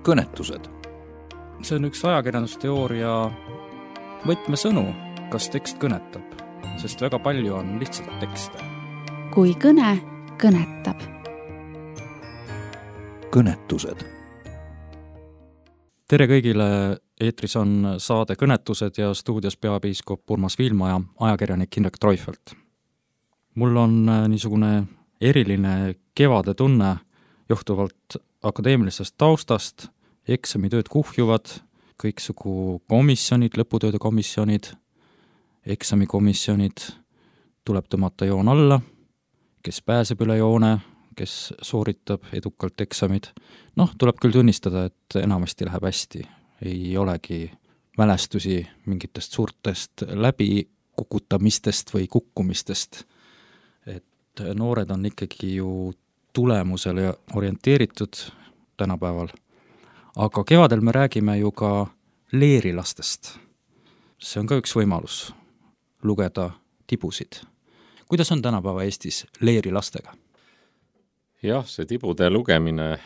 kõnetused. See on üks ajakirjandusteooria võtmesõnu, kas tekst kõnetab, sest väga palju on lihtsalt tekste. Kui kõne kõnetab. Kõnetused. Tere kõigile, eetris on saade Kõnetused ja stuudios peapiiskop Urmas Viilma ja ajakirjanik Indrek Treufelt. Mul on niisugune eriline kevade tunne johtuvalt akadeemilisest taustast, eksamitööd kuhjuvad, kõiksugu komisjonid, lõputööde komisjonid, eksamikomisjonid, tuleb tõmmata joon alla, kes pääseb üle joone, kes sooritab edukalt eksamid. Tuleb küll tunnistada, et enamasti läheb hästi. Ei olegi mälestusi mingitest suurtest läbikukutamistest või kukkumistest. Et noored on ikkagi ju tulemusele orienteeritud tänapäeval. Aga kevadel me räägime ju ka leerilastest. See on ka üks võimalus lugeda tibusid. Kuidas on tänapäeva Eestis leerilastega? Jah, see tibude lugemine,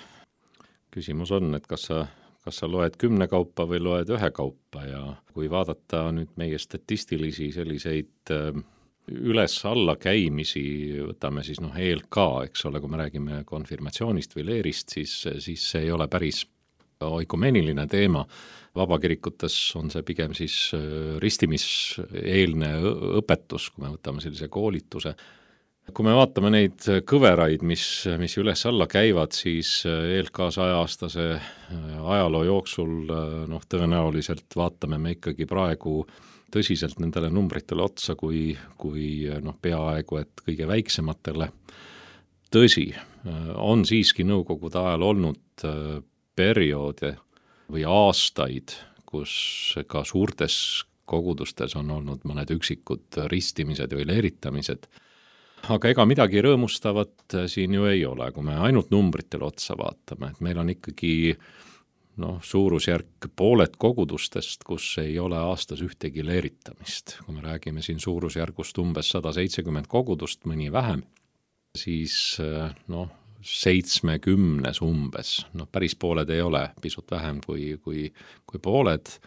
küsimus on, et kas sa loed 10 kaupa või loed 1 kaupa ja kui vaadata nüüd meie statistilisi selliseid üles-alla käimisi, võtame siis ELK, eks ole, kui me räägime konfirmatsioonist või leerist, siis see ei ole päris oikumeeniline teema. Vabakirikutes on see pigem siis ristimiseelne õpetus, kui me võtame sellise koolituse. Kui me vaatame neid kõveraid, mis üles-alla käivad, siis ELK 100-aastase ajaloo jooksul tõenäoliselt vaatame me ikkagi praegu tõsiselt nendele numbritele otsa kui peaaegu et kõige väiksematele. Tõsi, on siiski nõukogude ajal olnud perioode või aastaid, kus ka suurtes kogudustes on olnud mõned üksikud ristimised või leeritamised. Aga ega midagi rõõmustavat siin ju ei ole, kui me ainult numbritele otsa vaatame, et meil on ikkagi suurusjärk pooled kogudustest, kus ei ole aastas ühtegi leeritamist. Kui me räägime siin suurusjärgust umbes 170 kogudust, mõni vähem, siis 70 umbes, päris pooled ei ole, pisut vähem kui pooled,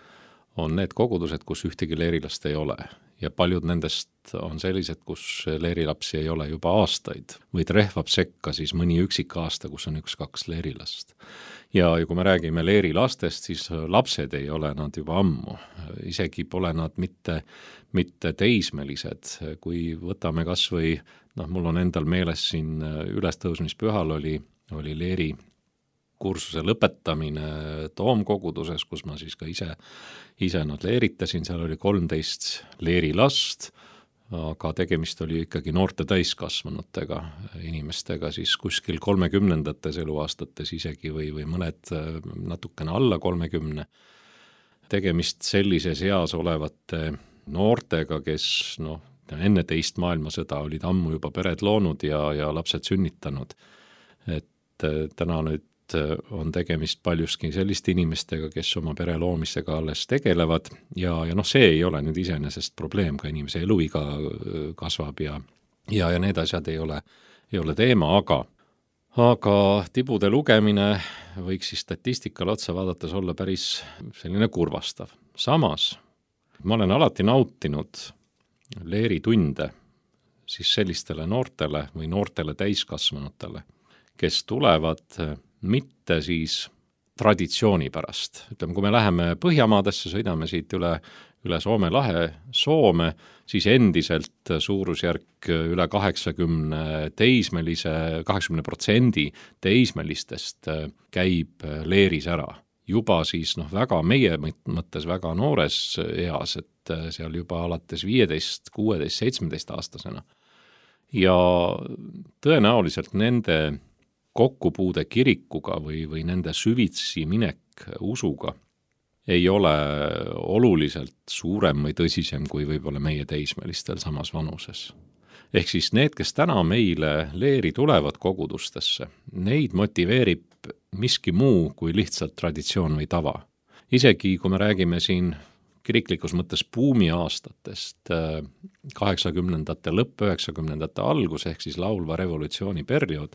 on need kogudused, kus ühtegi leerilast ei ole. Ja paljud nendest on sellised, kus leerilapsi ei ole juba aastaid või rehvab sekka siis mõni üksik aasta, kus on 1-2 leerilast. Ja kui me räägime leerilastest, siis lapsed ei ole nad juba ammu. Isegi pole nad mitte teismelised. Kui võtame kas või, mul on endal meeles siin ülestõusmispühal oli leeri kursuse lõpetamine Toomkoguduses, kus ma siis ka ise nad leeritasin, seal oli 13 leerilast, aga tegemist oli ikkagi noorte täiskasvanutega inimestega, siis kuskil 30ndates eluaastates isegi või mõned natukene alla 30. Tegemist sellises eas olevate noortega, kes enne teist maailmasõda olid ammu juba pered loonud ja lapsed sünnitanud. Et täna nüüd on tegemist paljuski selliste inimestega, kes oma pere loomisega alles tegelevad ja see ei ole nüüd iseenesest probleem, ka inimese eluiga kasvab ja need asjad ei ole teema, aga tibude lugemine võiks siis statistikale otsa vaadates olla päris selline kurvastav. Samas, ma olen alati nautinud leeritunde siis sellistele noortele või noortele täiskasvanutele, kes tulevad mitte siis traditsiooni pärast. Ütleme, kui me läheme Põhjamaadesse, sõidame siit üle Soome lahe Soome, siis endiselt suurusjärk üle 80% teismelistest käib leeris ära. Juba siis väga meie mõttes väga noores eas, et seal juba alates 15, 16, 17 aastasena. Ja tõenäoliselt nende kokkupuude kirikuga või nende süvitsi minek usuga ei ole oluliselt suurem või tõsisem kui võib-olla meie teismelistel samas vanuses. Ehk siis need, kes täna meile leeri tulevad kogudustesse, neid motiveerib miski muu kui lihtsalt traditsioon või tava. Isegi kui me räägime siin kiriklikus mõttes buumiaastatest 80ndate lõpp, 90ndate algus ehk siis laulva revolutsiooni periood,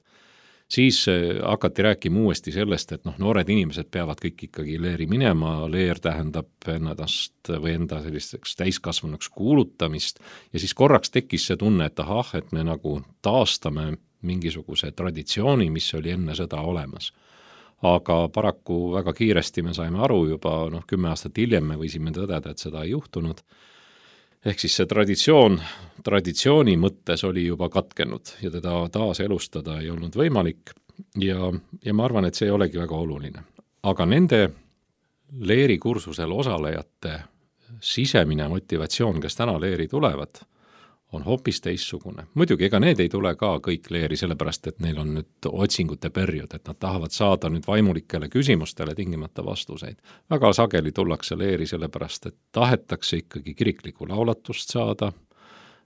Siis hakati rääkima uuesti sellest, et noored inimesed peavad kõik ikkagi leeri minema, leer tähendab ennast või enda selliseks täiskasvanuks kuulutamist ja siis korraks tekkis see tunne, et et me nagu taastame mingisuguse traditsiooni, mis oli enne sõda olemas. Aga paraku väga kiiresti me saime aru juba 10 aastat hiljem me võisime tõdeda, et seda ei juhtunud. Ehk siis see traditsiooni mõttes oli juba katkenud ja teda taas elustada ei olnud võimalik ja ma arvan, et see ei olegi väga oluline. Aga nende leerikursusel osalejate sisemine motivatsioon, kes täna leeri tulevad, on hoopis teissugune. Muidugi, ega need ei tule ka kõik leeri, sellepärast, et neil on nüüd otsingute periood, et nad tahavad saada nüüd vaimulikele küsimustele tingimata vastuseid. Väga sageli tullakse leeri sellepärast, et tahetakse ikkagi kiriklikku laulatust saada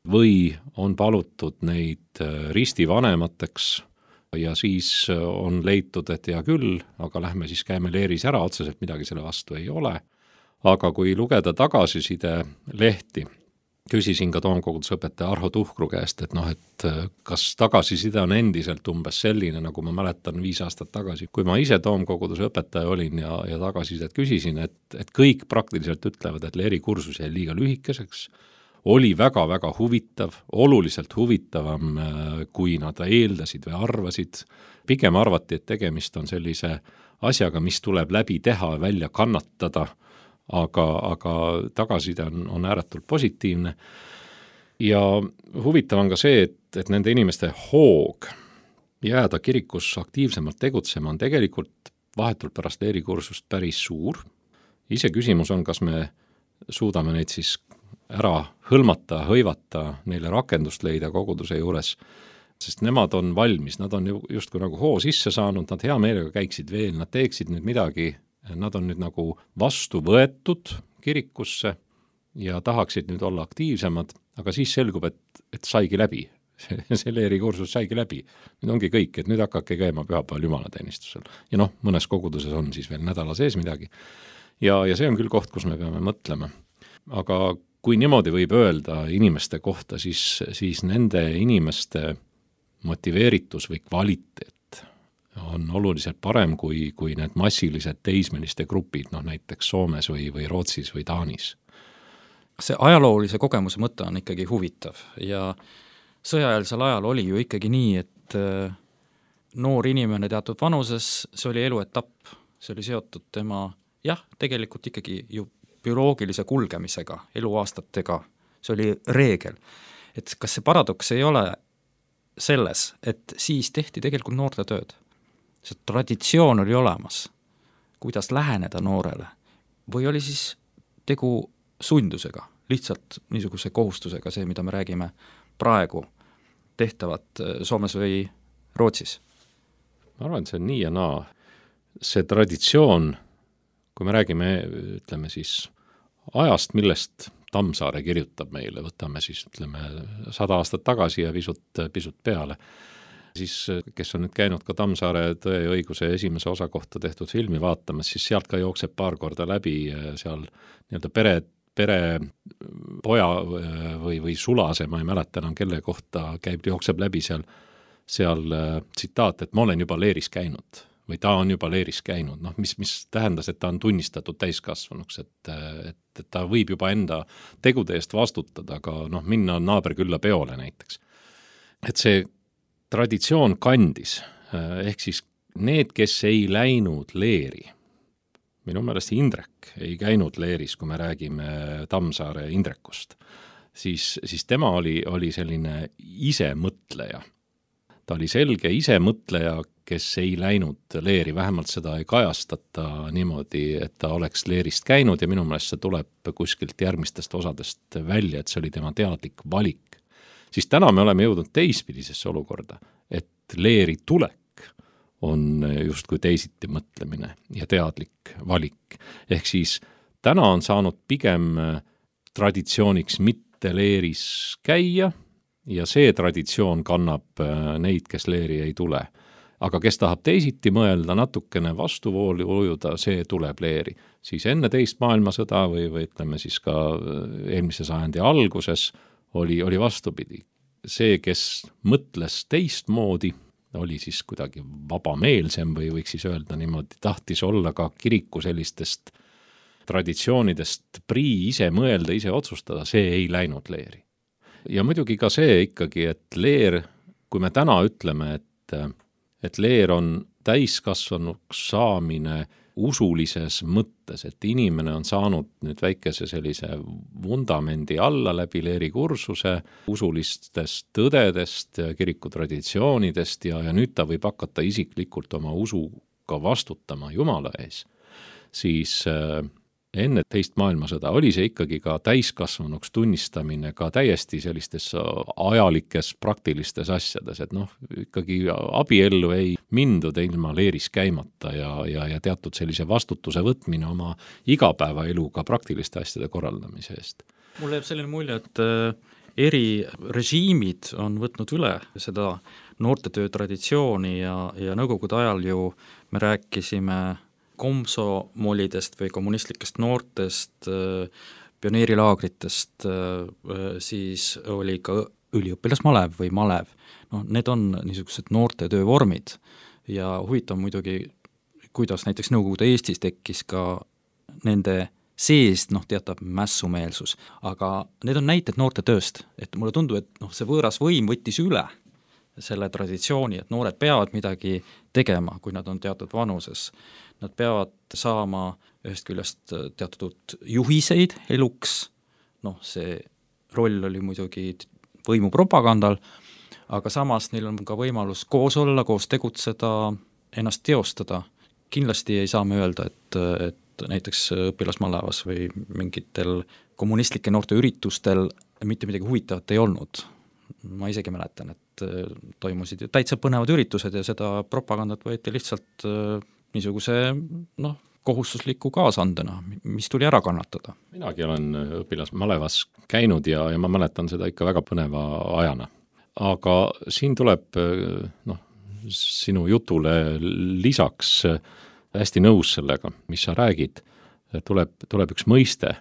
või on palutud neid ristivanemateks ja siis on leitud, et hea küll, aga lähme siis käime leeris ära, otseselt midagi selle vastu ei ole. Aga kui lugeda tagasiside lehti, küsisin ka toomkogudusõpetaja Arho Tuhkru käest, et kas tagasiside on endiselt umbes selline, nagu ma mäletan 5 aastat tagasi, kui ma ise toomkogudusõpetaja olin ja tagasisidet küsisin, et kõik praktiliselt ütlevad, et leerikursus jäi liiga lühikeseks, oli väga-väga huvitav, oluliselt huvitavam, kui nad eeldasid või arvasid. Pigem arvati, et tegemist on sellise asjaga, mis tuleb läbi teha ja välja kannatada, aga tagasiside on ääretult positiivne ja huvitav on ka see, et nende inimeste hoog jääda kirikus aktiivsemalt tegutsema on tegelikult vahetult pärast leerikursust päris suur. Ise küsimus on, kas me suudame neid siis ära hõlmata, hõivata, neile rakendust leida koguduse juures, sest nemad on valmis, nad on justkui nagu hoo sisse saanud, nad hea meelega käiksid veel, nad teeksid nüüd midagi. Nad on nüüd nagu vastu võetud kirikusse ja tahaksid nüüd olla aktiivsemad, aga siis selgub, et saigi läbi. See leerikursus saigi läbi. Nüüd ongi kõik, et nüüd hakake käima pühapäeval jumalateenistusel. Ja mõnes koguduses on siis veel nädala sees midagi. Ja see on küll koht, kus me peame mõtlema. Aga kui niimoodi võib öelda inimeste kohta, siis nende inimeste motiveeritus või kvaliteet on oluliselt parem kui need massilised teismeliste grupid, näiteks Soomes või Rootsis või Taanis. See ajaloolise kogemuse mõte on ikkagi huvitav ja sõjaeelsel ajal oli ju ikkagi nii, et noor inimene teatud vanuses, see oli eluetapp, see oli seotud tema, tegelikult ikkagi ju bioloogilise kulgemisega, eluaastatega, see oli reegel. Et kas see paradoks ei ole selles, et siis tehti tegelikult noorte tööd? See traditsioon oli olemas, kuidas läheneda noorele, või oli siis tegu sundusega, lihtsalt niisuguse kohustusega, see, mida me räägime praegu tehtavat Soomes või Rootsis? Ma arvan, et see on nii ja naa. See traditsioon, kui me räägime, ütleme siis ajast, millest Tammsaare kirjutab meile, võtame siis, 100 aastat tagasi ja pisut peale, siis kes on nüüd käinud ka Tammsaare Tõe ja õiguse esimese osa kohta tehtud filmi vaatamas, siis sealt ka jookseb paar korda läbi seal nii-öelda pere poja või sulase, ma ei mäleta enam kelle kohta jookseb läbi seal tsitaat, et ma olen juba leeris käinud või ta on juba leeris käinud, mis tähendas, et ta on tunnistatud täiskasvanuks, et ta võib juba enda tegude eest vastutada, aga minna naaberkülla peole näiteks. Et see traditsioon kandis, ehk siis need, kes ei läinud leeri, minu meelest Indrek ei käinud leeris, kui me räägime Tammsaare Indrekust, siis tema oli selline isemõtleja. Ta oli selge isemõtleja, kes ei läinud leeri, vähemalt seda ei kajastata niimoodi, et ta oleks leerist käinud ja minu meelest see tuleb kuskilt järgmistest osadest välja, et see oli tema teadlik valik. Siis täna me oleme jõudnud teispidisesse olukorda, et leeri tulek on justkui teisiti mõtlemine ja teadlik valik. Ehk siis täna on saanud pigem traditsiooniks mitte leeris käia ja see traditsioon kannab neid, kes leeri ei tule. Aga kes tahab teisiti mõelda, natukene vastuvooli ujuda, see tuleb leeri. Siis enne teist maailmasõda või ütleme siis ka eelmise sajandi alguses oli vastupidi. See, kes mõtles teistmoodi, oli siis kuidagi vabameelsem või võiks siis öelda niimoodi, tahtis olla ka kiriku sellistest traditsioonidest prii ise mõelda, ise otsustada, see ei läinud leeri. Ja muidugi ka see ikkagi, et leer, kui me täna ütleme, et leer on täiskasvanuks saamine usulises mõttes, et inimene on saanud nüüd väikese sellise vundamendi alla läbi leerikursuse usulistest tõdedest, kirikutraditsioonidest ja nüüd ta võib hakata isiklikult oma usuga vastutama Jumala ees, siis enne teist maailmasõda oli see ikkagi ka täiskasvanuks tunnistamine ka täiesti sellistes ajalikes praktilistes asjades, et ikkagi abiellu ei mindud ilma leeris käimata ja teatud sellise vastutuse võtmine oma igapäevaeluga praktiliste asjade korraldamise eest. Mulle jääb selline mulje, et eri režiimid on võtnud üle seda noortetöö traditsiooni ja nõukogude ajal ju me rääkisime komsomolidest või kommunistlikest noortest, pioneerilaagritest, siis oli ka üliõpilasmalev või malev. Need on niisugused noortetöö vormid ja huvitav muidugi, kuidas näiteks Nõukogude Eestis tekkis ka nende seest teatav mässumeelsus, aga need on näited noortetööst, et mulle tundub, et see võõras võim võttis üle selle traditsiooni, et noored peavad midagi tegema, kui nad on teatud vanuses. Nad peavad saama ühest küljest teatud juhiseid eluks, see roll oli muidugi võimupropagandal, aga samas neil on ka võimalus koos olla, koos tegutseda, ennast teostada. Kindlasti ei saa me öelda, et näiteks õpilasmalevas või mingitel kommunistlike noorte üritustel mitte midagi huvitavat ei olnud. Ma isegi mäletan, et toimusid ju täitsa põnevad üritused ja seda propagandat võeti lihtsalt niisuguse kohustusliku kaasandena, mis tuli ära kannatada. Minagi olen õpilasmalevas käinud ja ma mäletan seda ikka väga põneva ajana. Aga siin tuleb sinu jutule lisaks hästi nõus sellega, mis sa räägid, tuleb üks mõiste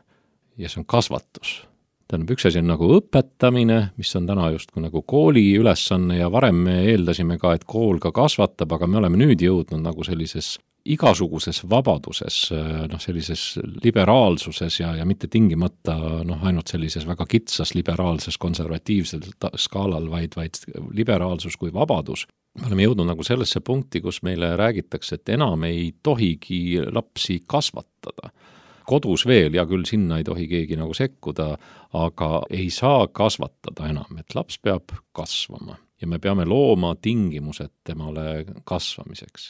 ja see on kasvatus. Tähendab, üks asi on nagu õpetamine, mis on täna justkui nagu kooli ülesanne ja varem me eeldasime ka, et kool ka kasvatab, aga me oleme nüüd jõudnud nagu sellises igasuguses vabaduses, sellises liberaalsuses ja mitte tingimata ainult sellises väga kitsas liberaalses konservatiivsel skaalal, vaid liberaalsus kui vabadus. Me oleme jõudnud nagu sellesse punkti, kus meile räägitakse, et enam ei tohigi lapsi kasvatada. Kodus veel, ja küll sinna ei tohi keegi nagu sekkuda, aga ei saa kasvatada enam, et laps peab kasvama ja me peame looma tingimused temale kasvamiseks.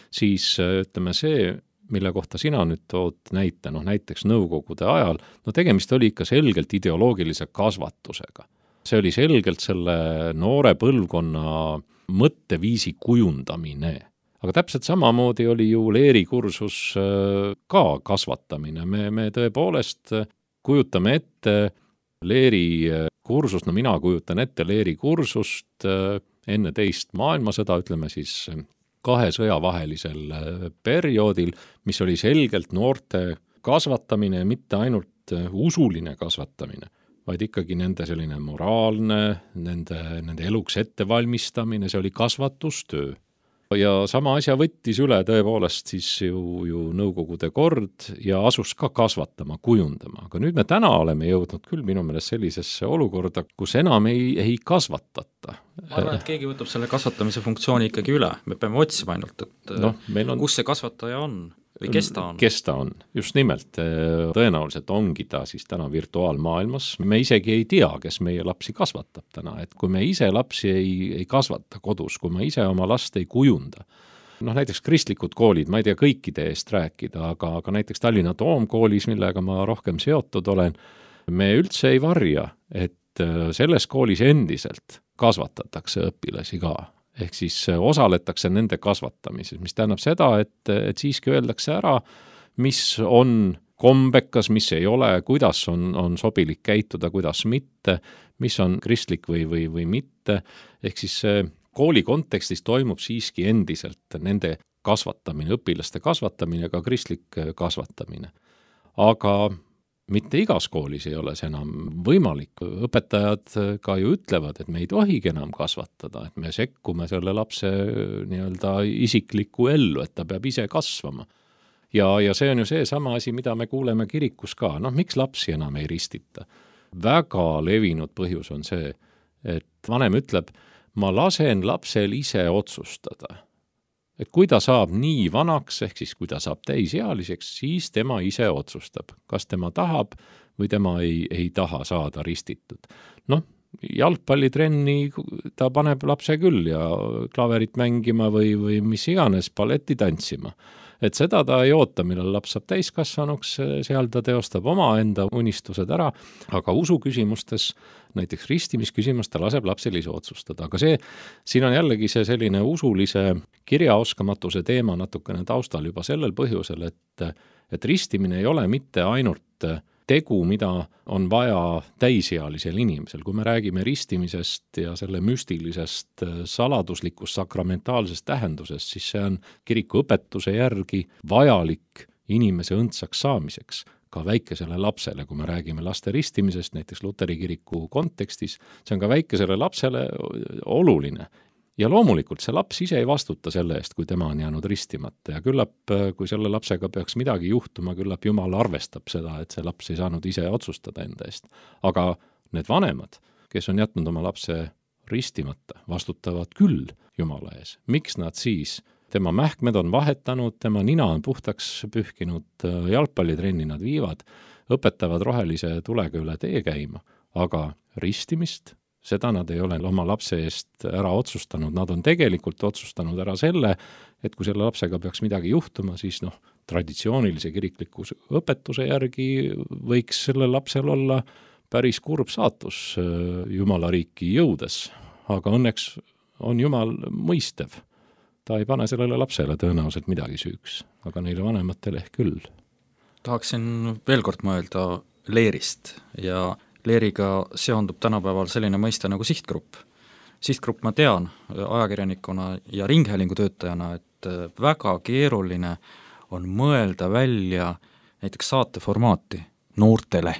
Siis ütleme see, mille kohta sina nüüd tood näite, näiteks nõukogude ajal, tegemist oli ikka selgelt ideoloogilise kasvatusega. See oli selgelt selle noore põlvkonna mõtteviisi kujundamine. Aga täpselt samamoodi oli ju leerikursus ka kasvatamine. Me tõepoolest kujutame ette leerikursust, mina kujutan ette leerikursust enne teist maailmasõda, ütleme siis 2 sõja vahelisel perioodil, mis oli selgelt noorte kasvatamine, mitte ainult usuline kasvatamine, vaid ikkagi nende selline moraalne, nende eluks ettevalmistamine, see oli kasvatustöö. Ja sama asja võttis üle tõepoolest siis ju nõukogude kord ja asus ka kasvatama, kujundama. Aga nüüd me täna oleme jõudnud küll minu meelest sellisesse olukorda, kus enam ei kasvatata. Ma arvan, et keegi võtab selle kasvatamise funktsiooni ikkagi üle. Me peame otsima ainult, et kus see kasvataja on või kes ta on. Kes ta on, just nimelt. Tõenäoliselt ongi ta siis täna virtuaalmaailmas. Me isegi ei tea, kes meie lapsi kasvatab täna. Et kui me ise lapsi ei kasvata kodus, kui me ise oma last ei kujunda. Näiteks kristlikud koolid, ma ei tea kõikide eest rääkida, aga näiteks Tallinna Toomkoolis, millega ma rohkem seotud olen, me üldse ei varja, et selles koolis endiselt kasvatatakse õpilasi ka. Ehk siis osaletakse nende kasvatamises, mis tähendab seda, et siiski öeldakse ära, mis on kombekas, mis ei ole, kuidas on sobilik käituda, kuidas mitte, mis on kristlik või mitte. Ehk siis kooli kontekstis toimub siiski endiselt nende kasvatamine, õpilaste kasvatamine, ka kristlik kasvatamine. Aga mitte igas koolis ei ole see enam võimalik. Õpetajad ka ju ütlevad, et me ei tohigi enam kasvatada, et me sekkume selle lapse nii-öelda isiklikku ellu, et ta peab ise kasvama. Ja see on ju see sama asi, mida me kuuleme kirikus ka. Miks lapsi enam ei ristita? Väga levinud põhjus on see, et vanem ütleb, ma lasen lapsel ise otsustada. Et kui ta saab nii vanaks, ehk siis kui ta saab täisealiseks, siis tema ise otsustab, kas tema tahab või tema ei taha saada ristitud. Jalgpallitrenni ta paneb lapse küll ja klaverit mängima või mis iganes, balletti tantsima. Et seda ta ei oota, millal laps saab täiskasvanuks, seal ta teostab oma enda unistused ära, aga usu küsimustes, näiteks ristimisküsimus, ta laseb lapsel ise otsustada. Aga siin on jällegi see selline usulise kirjaoskamatuse teema natukene taustal juba sellel põhjusel, et ristimine ei ole mitte ainult tegu, mida on vaja täisealisel inimesel. Kui me räägime ristimisest ja selle müstilisest saladuslikust sakramentaalsest tähendusest, siis see on kiriku õpetuse järgi vajalik inimese õndsaks saamiseks, ka väikesele lapsele. Kui me räägime laste ristimisest, näiteks Luteri kiriku kontekstis, see on ka väikesele lapsele oluline. Ja loomulikult see laps ise ei vastuta selle eest, kui tema on jäänud ristimata ja küllap, kui selle lapsega peaks midagi juhtuma, küllap Jumal arvestab seda, et see laps ei saanud ise otsustada enda eest. Aga need vanemad, kes on jätnud oma lapse ristimata, vastutavad küll Jumala ees. Miks nad siis? Tema mähkmed on vahetanud, tema nina on puhtaks pühkinud, jalgpallitrenni nad viivad, õpetavad rohelise tulega üle tee käima, aga ristimist seda nad ei ole oma lapse eest ära otsustanud. Nad on tegelikult otsustanud ära selle, et kui selle lapsega peaks midagi juhtuma, siis traditsioonilise kirikliku õpetuse järgi võiks selle lapsel olla päris kurb saatus Jumala riiki jõudes. Aga õnneks on Jumal mõistev. Ta ei pane sellele lapsele tõenäoliselt midagi süüks, aga neile vanematele ehk küll. Tahaksin veel kord mõelda leerist ja leeriga seondub tänapäeval selline mõiste nagu sihtgrupp. Sihtgrupp ma tean ajakirjanikuna ja ringhäälingu töötajana, et väga keeruline on mõelda välja näiteks saateformaati noortele.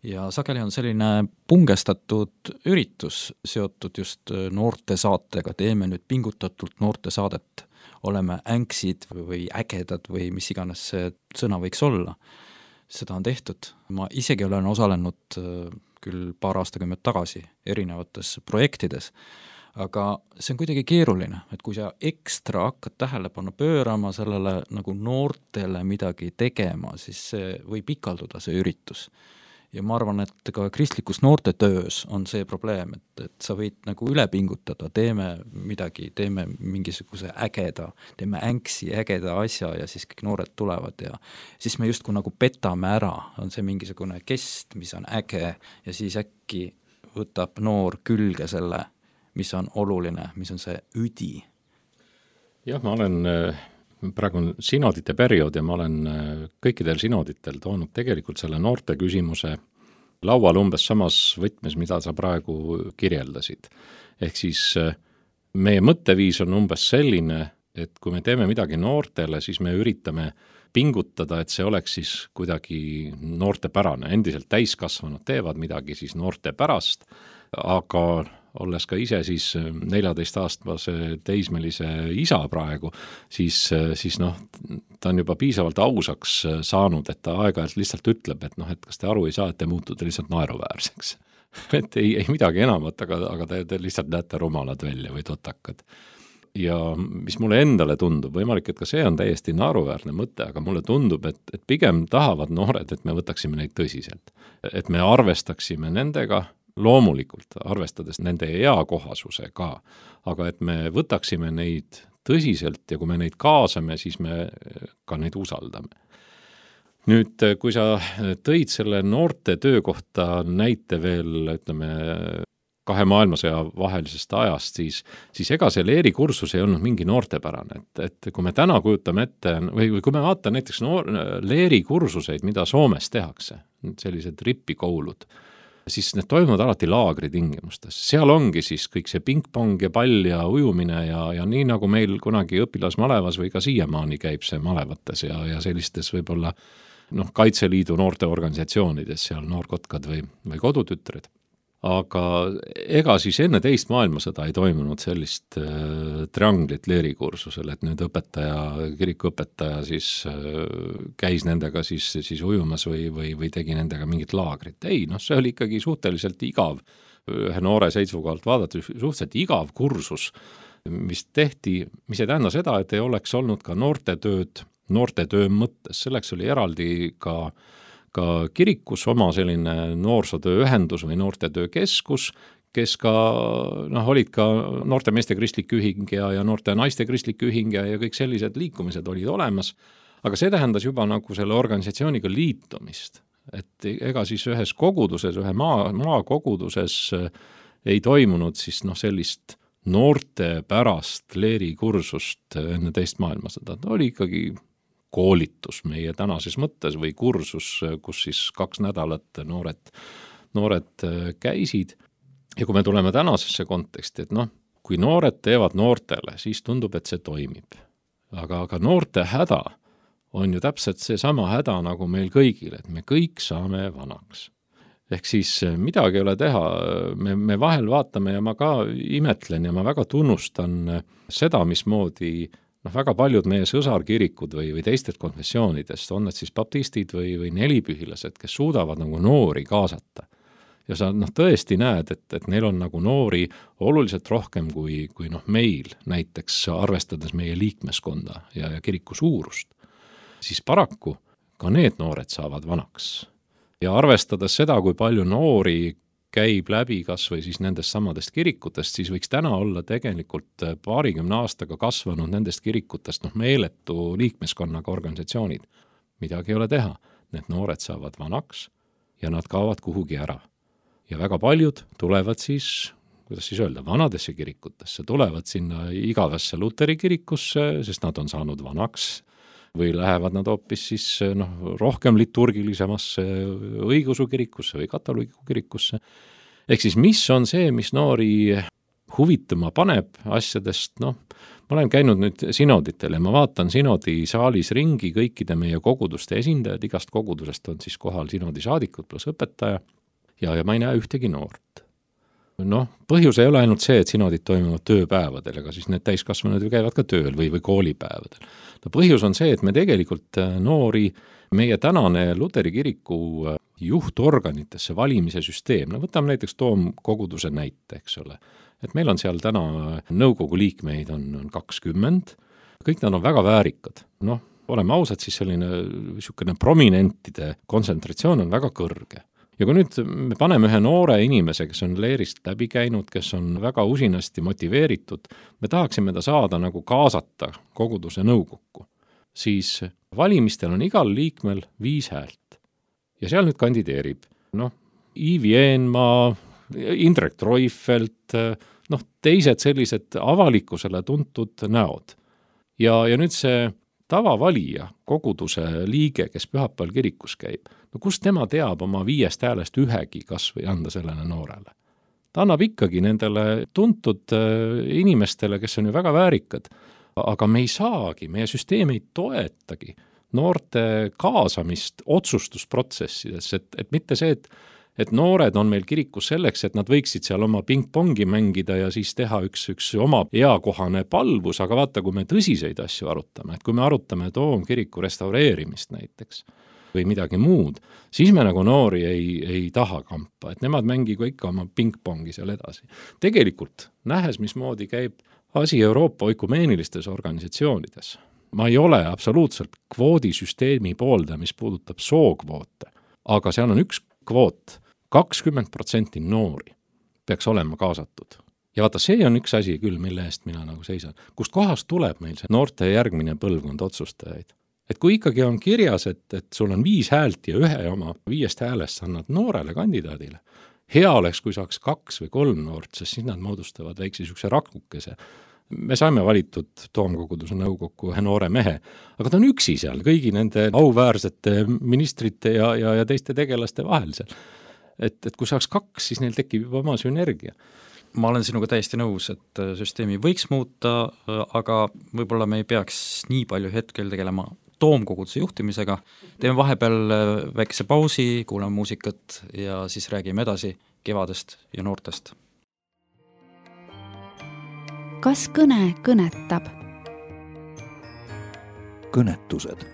Ja sageli on selline pungestatud üritus seotud just noorte saatega, teeme nüüd pingutatult noorte saadet, oleme änksid või ägedad või mis iganes see sõna võiks olla. Seda on tehtud. Ma isegi olen osalenud küll paar aastakümmet tagasi erinevates projektides, aga see on kuidagi keeruline, et kui sa ekstra hakkad tähelepanu pöörama sellele nagu noortele midagi tegema, siis see võib ikalduda see üritus. Ja ma arvan, et ka kristlikus noorte töös on see probleem, et sa võid nagu üle pingutada, teeme midagi, teeme mingisuguse ägeda, teeme änksi ägeda asja ja siis kõik noored tulevad ja siis me justkui nagu petame ära, on see mingisugune kest, mis on äge ja siis äkki võtab noor külge selle, mis on oluline, mis on see üdi. Jah, ma olen praegu on sinodite periood ja ma olen kõikidel sinoditel toonud tegelikult selle noorte küsimuse laual umbes samas võtmes, mida sa praegu kirjeldasid. Ehk siis meie mõtteviis on umbes selline, et kui me teeme midagi noortele, siis me üritame pingutada, et see oleks siis kuidagi noortepärane. Endiselt täiskasvanud teevad midagi siis noorte pärast, aga olles ka ise siis 14-aastase teismelise isa praegu, siis ta on juba piisavalt ausaks saanud, et ta aeg-ajalt lihtsalt ütleb, et et kas te aru ei saa, et te muutude lihtsalt naeruväärseks. Et ei midagi enamat, aga te lihtsalt näete rumalad välja või totakad. Ja mis mulle endale tundub, võimalik, et ka see on täiesti naeruväärne mõte, aga mulle tundub, et pigem tahavad noored, et me võtaksime neid tõsiselt. Et me arvestaksime nendega, loomulikult arvestades nende eakohasuse ka, aga et me võtaksime neid tõsiselt ja kui me neid kaasame, siis me ka neid usaldame. Nüüd, kui sa tõid selle noorte töökohta näite veel, ütleme, 2 maailmasõja vahelisest ajast, siis ega see leerikursus ei olnud mingi noortepärane. Et kui me täna kujutame ette, või kui me vaatame näiteks leerikursuseid, mida Soomes tehakse, sellised ripikoulud, siis need toimuvad alati laagri tingimustes. Seal ongi siis kõik see pingpong ja pall ja ujumine ja nii nagu meil kunagi õpilasmalevas või ka siiamaani käib see malevates ja sellistes võib-olla Kaitseliidu noorteorganisatsioonides, seal Noorkotkad või Kodutütred. Aga ega siis enne teist maailmasõda ei toimunud sellist trianglit leerikursusel, et nüüd kirikuõpetaja siis käis nendega siis ujumas või tegi nendega mingit laagrit. Ei, see oli ikkagi suhteliselt igav, ühe noore seisukohalt vaadates suhteliselt igav kursus, mis tehti, mis ei tähenda seda, et ei oleks olnud ka noortetöö mõttes, selleks oli eraldi ka kirikus oma selline noorsootööühendus või noortetöökeskus, kes ka olid ka noorte meeste kristlik ühing ja noorte naiste kristlik ühing ja kõik sellised liikumised olid olemas, aga see tähendas juba nagu selle organisatsiooniga liitumist, et ega siis ühes koguduses, ühe maakoguduses ei toimunud siis sellist noorte pärast leerikursust enne teist maailmasõda, ta oli ikkagi koolitus meie tänases mõttes või kursus, kus siis 2 nädalat noored käisid. Ja kui me tuleme tänasesse konteksti, et kui noored teevad noortele, siis tundub, et see toimib. Aga noorte häda on ju täpselt see sama häda nagu meil kõigil, et me kõik saame vanaks. Ehk siis midagi ei ole teha, me vahel vaatame ja ma ka imetlen ja ma väga tunnustan seda, mismoodi väga paljud meie sõsarkirikud või teistest konfessioonidest, on need siis baptistid või nelipühilased, kes suudavad nagu noori kaasata. Ja sa tõesti näed, et neil on nagu noori oluliselt rohkem kui meil, näiteks arvestades meie liikmeskonda ja kiriku suurust. Siis paraku ka need noored saavad vanaks. Ja arvestades seda, kui palju noori käib läbi kas või siis nendest samadest kirikutest, siis võiks täna olla tegelikult 20 aastaga kasvanud nendest kirikutest meeletu liikmeskonnaga organisatsioonid. Midagi ei ole teha. Need noored saavad vanaks ja nad kaovad kuhugi ära. Ja väga paljud tulevad siis, kuidas siis öelda, vanadesse kirikutesse, tulevad sinna igavesse Luteri kirikusse, sest nad on saanud vanaks, või lähevad nad hoopis siis rohkem liturgilisemasse õigeusu kirikusse või katoliku kirikusse. Ehk siis mis on see, mis noori huvituma paneb asjadest, ma olen käinud nüüd sinoditel ja ma vaatan sinodi saalis ringi kõikide meie koguduste esindajad, igast kogudusest on siis kohal sinodi saadikud plus õpetaja ja ma ei näe ühtegi noort. Põhjus ei ole ainult see, et sinodid toimuvad tööpäevadel, aga siis need täiskasvanud ju käivad ka tööl või koolipäevadel. Põhjus on see, et me tegelikult noori, meie tänane Luteri kiriku juhtorganitesse valimise süsteem, võtame näiteks Toomkoguduse näite, eks ole, et meil on seal täna nõukogu liikmeid on 20, kõik nad on väga väärikad. Oleme ausad, siis selline prominentide kontsentratsioon on väga kõrge. Ja kui nüüd me paneme ühe noore inimese, kes on leerist läbi käinud, kes on väga usinasti motiveeritud, me tahaksime ta saada nagu kaasata koguduse nõukokku, siis valimistel on igal liikmel 5 häält. Ja seal nüüd kandideerib, Iivi Eenmaa, Indrek Treufelt, teised sellised avalikkusele tuntud näod. Ja nüüd see tavavalija, koguduse liige, kes pühapäeval kirikus käib, kust tema teab oma 5 häälest ühegi kas või anda sellele noorele? Ta annab ikkagi nendele tuntud inimestele, kes on ju väga väärikad, aga me ei saagi, meie süsteem ei toetagi noorte kaasamist otsustusprotsessides, et mitte see, et noored on meil kirikus selleks, et nad võiksid seal oma pingpongi mängida ja siis teha üks oma eakohane palvus, aga vaata, kui me tõsiseid asju arutame, et kui me arutame Toomkiriku restaureerimist näiteks või midagi muud, siis me nagu noori ei taha kampa, et nemad mängigu ikka oma pingpongi seal edasi. Tegelikult, nähes, mismoodi käib asi Euroopa oikumeenilises organisatsioonides, ma ei ole absoluutselt kvoodisüsteemi poolda, mis puudutab sookvoote, aga seal on üks kvoot, 20% noori peaks olema kaasatud. Ja vaata, see on üks asi küll, mille eest mina nagu seisan. Kust kohast tuleb meil see noorte järgmine põlvkond otsustajaid? Et kui ikkagi on kirjas, et sul on 5 häält ja ühe oma 5 häälest annad noorele kandidaadile, hea oleks, kui saaks 2 või 3 noort, sest siis nad moodustavad väikse niisuguse rakukese. Me saime valitud Toomkoguduse nõukokku ühe noore mehe, aga ta on üksi seal kõigi nende auväärsete ministrite ja teiste tegelaste vahel seal. Et kui saaks 2, siis neil tekib juba oma sünergia. Ma olen sinuga täiesti nõus, et süsteemi võiks muuta, aga võib-olla me ei peaks nii palju hetkel tegelema toomkoguduse juhtimisega. Teeme vahepeal väikese pausi, kuulame muusikat ja siis räägime edasi kevadest ja noortest. Kas kõne kõnetab? Kõnetused.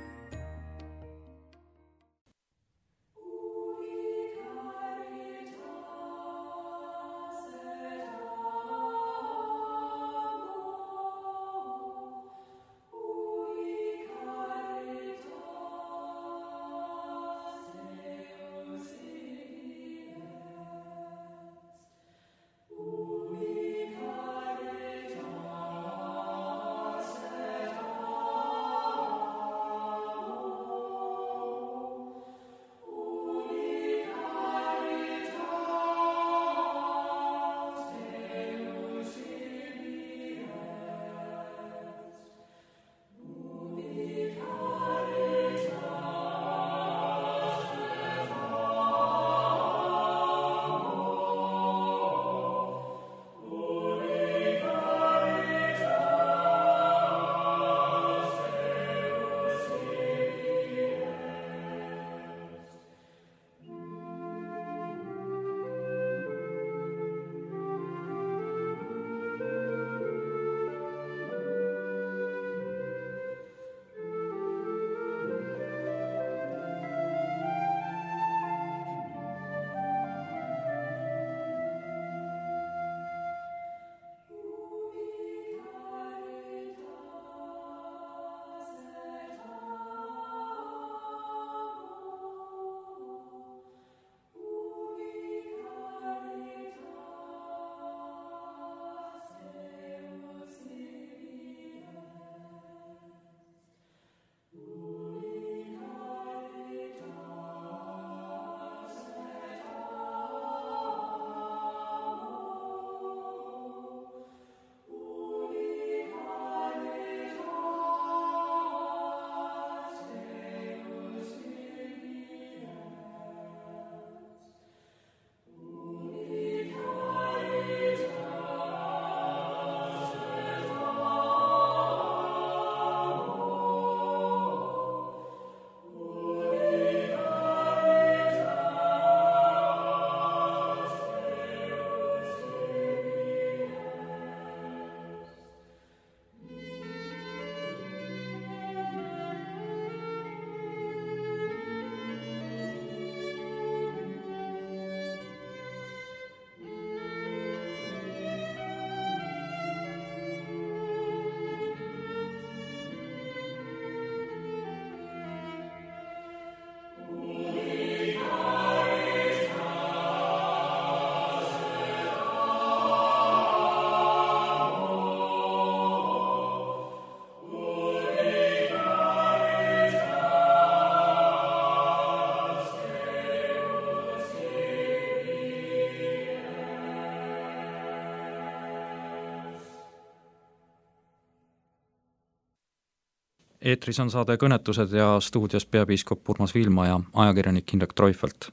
Eetris on saade Kõnetused ja stuudios peapiiskop Urmas Viilma ja ajakirjanik Indrek Treufelt.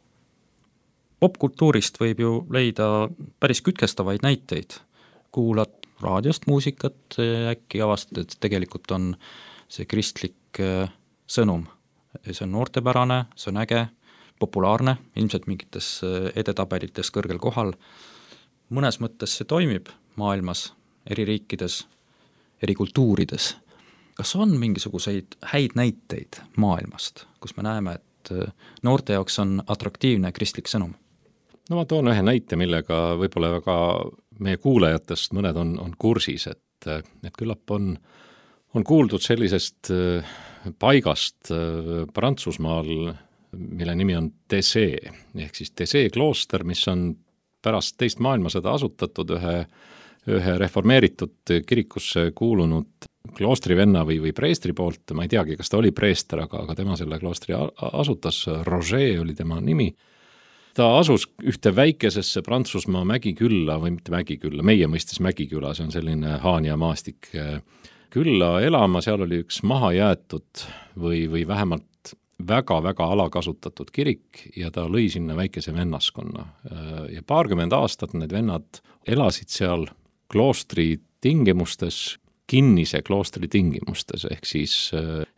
Popkultuurist võib ju leida päris kütkestavaid näiteid. Kuulad raadiost muusikat ja äkki avastad, et tegelikult on see kristlik sõnum. See on noortepärane, see on äge, populaarne, ilmselt mingites edetabelites kõrgel kohal. Mõnes mõttes see toimib maailmas, eri riikides, eri kultuurides. Kas on mingisuguseid häid näiteid maailmast, kus me näeme, et noorte jaoks on atraktiivne kristlik sõnum? No ma toon ühe näite, millega võib-olla väga meie kuulajatest mõned on kursis, et küllap on kuuldud sellisest paigast Prantsusmaal, mille nimi on Thésée, ehk siis Thésée klooster, mis on pärast teist maailmasõda asutatud ühe reformeeritud kirikusse kuulunud kloostrivenna või preestri poolt, ma ei teagi, kas ta oli preester, aga tema selle kloostri asutas, Roger oli tema nimi. Ta asus ühte väikesesse Prantsusmaa mägikülla, või mitte mägikülla, meie mõistes mägiküla, see on selline Haanja maastik külla elama, seal oli üks mahajäetud või vähemalt väga-väga alakasutatud kirik ja ta lõi sinna väikese vennaskonna. Ja 20 aastat need vennad elasid seal kloostri tingimustes, kinnise kloostri tingimustes, ehk siis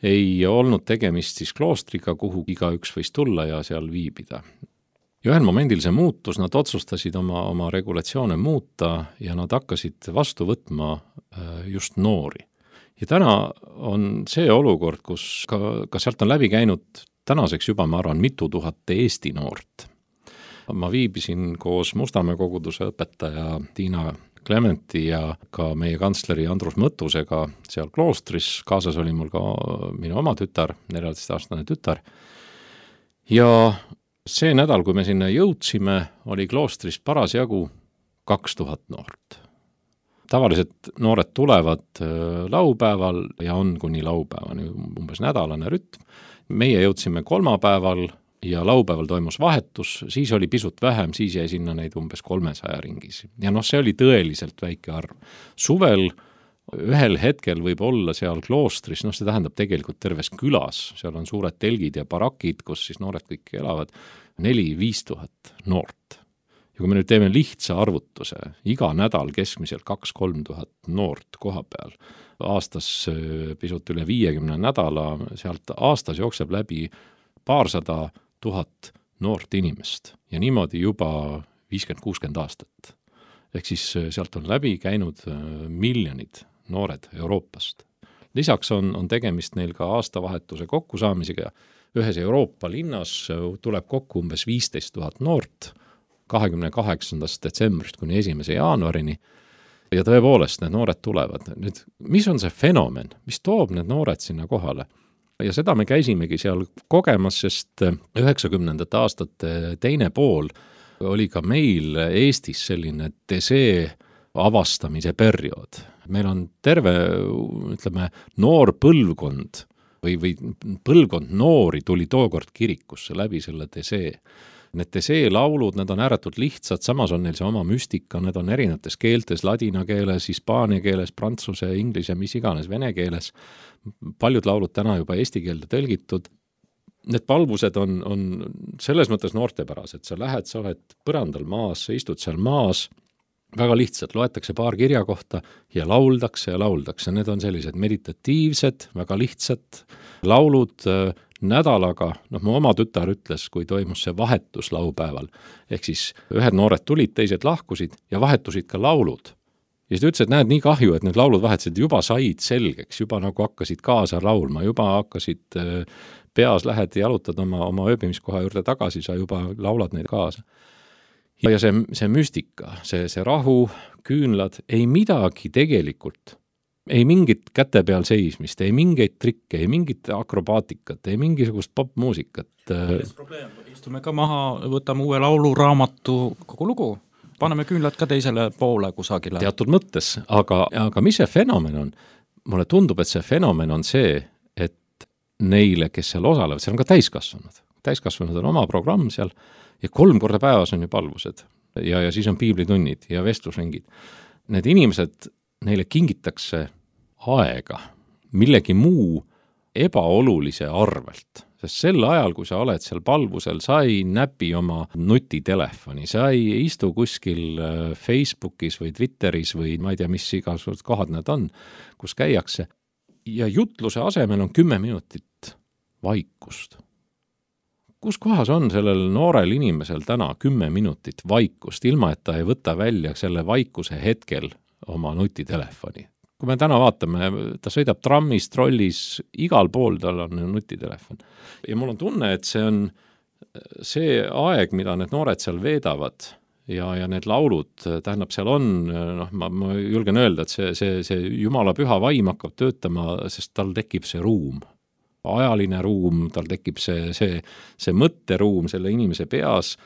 ei olnud tegemist siis kloostriga, kuhu igaüks võis tulla ja seal viibida. Ja ühel momendil see muutus, nad otsustasid oma regulatsioone muuta ja nad hakkasid vastu võtma just noori. Ja täna on see olukord, kus ka sealt on läbi käinud tänaseks juba, ma arvan, mitu tuhat Eesti noort. Ma viibisin koos Mustamäe koguduse õpetaja Tiina Klementi ja ka meie kantsleri Andrus Mõttusega seal kloostris, kaasas oli mul ka minu oma tütar, 14-aastane tütar. Ja see nädal, kui me sinna jõudsime, oli kloostris parasjagu 2000 noort. Tavaliselt noored tulevad laupäeval ja on kuni laupäevani umbes nädalane rütm. Meie jõudsime kolmapäeval ja laupäeval toimus vahetus, siis oli pisut vähem, siis jäi sinna neid umbes 300 ringis. Ja see oli tõeliselt väike arv. Suvel ühel hetkel võib olla seal kloostris, see tähendab tegelikult terves külas, seal on suured telgid ja barakid, kus siis noored kõik elavad, 4-5 tuhat noort. Ja kui me nüüd teeme lihtsa arvutuse, iga nädal keskmiselt 2-3 tuhat noort koha peal, aastas pisut üle 50 nädala, sealt aastas jookseb läbi 200 000 noort inimest ja niimoodi juba 50-60 aastat. Ehk siis sealt on läbi käinud miljonid noored Euroopast. Lisaks on tegemist neil ka aastavahetuse kokkusaamisega. Ühes Euroopa linnas tuleb kokku umbes 15 000 noort 28. detsembrist kuni 1. jaanuarini. Ja tõepoolest, need noored tulevad. Nüüd, mis on see fenomen? Mis toob need noored sinna kohale? Ja seda me käisimegi seal kogemas, sest 90. aastate teine pool oli ka meil Eestis selline desee avastamise periood. Meil on terve, noor põlvkond või põlvkond noori tuli tookord kirikusse läbi selle desee. Need desee laulud, need on ääretult lihtsad, samas on neil see oma müstika, need on erinevates keeltes, ladina keeles, hispaania keeles, prantsuse, inglise, mis iganes, vene keeles. Paljud laulud täna juba eesti keelde tõlgitud. Need palvused on selles mõttes noortepärased, sa lähed, sa oled põrandal maas, sa istud seal maas, väga lihtsalt, loetakse paar kirja kohta ja lauldakse. Need on sellised meditatiivsed, väga lihtsad laulud nädalaga. Mu oma tütar ütles, kui toimus see vahetus laupäeval, ehk siis ühed noored tulid, teised lahkusid ja vahetusid ka laulud. Ja siis ta ütles, et näed, nii kahju, et need laulud vahetasid, juba said selgeks, juba nagu hakkasid kaasa laulma, juba hakkasid peas, lähed jalutad oma ööbimiskoha juurde tagasi, sa juba laulad neid kaasa. Ja see müstika, see rahu, küünlad, ei midagi tegelikult, ei mingit käte peal seismist, ei mingeid trikke, ei mingit akrobaatikat, ei mingisugust popmuusikat. Istume ka maha, võtame uue lauluraamatu, kogu lugu, paneme küünlad ka teisele poole kusagile. Teatud mõttes, aga mis see fenomen on? Mulle tundub, et see fenomen on see, et neile, kes seal osalevad, seal on ka täiskasvanud. Täiskasvanud on oma programm seal ja 3 korda päevas on ju palvused ja siis on piiblitunnid ja vestlusringid. Need inimesed, neile kingitakse aega millegi muu ebaolulise arvelt, sest sel ajal, kui sa oled seal palvusel, sa ei näpi oma nutitelefoni, sa ei istu kuskil Facebookis või Twitteris või ma ei tea, mis igasugused kohad need on, kus käiakse ja jutluse asemel on 10 minutit vaikust. Kus kohas on sellel noorel inimesel täna 10 minutit vaikust, ilma et ta ei võta välja selle vaikuse hetkel oma nutitelefoni? Kui me täna vaatame, ta sõidab trammis, trollis, igal pool tal on nutitelefon. Ja mul on tunne, et see on see aeg, mida need noored seal veedavad ja need laulud, tähendab, seal on, ma julgen öelda, et see Jumala püha vaim hakkab töötama, sest tal tekib see ruum. Ajaline ruum, tal tekib see mõtteruum selle inimese peas,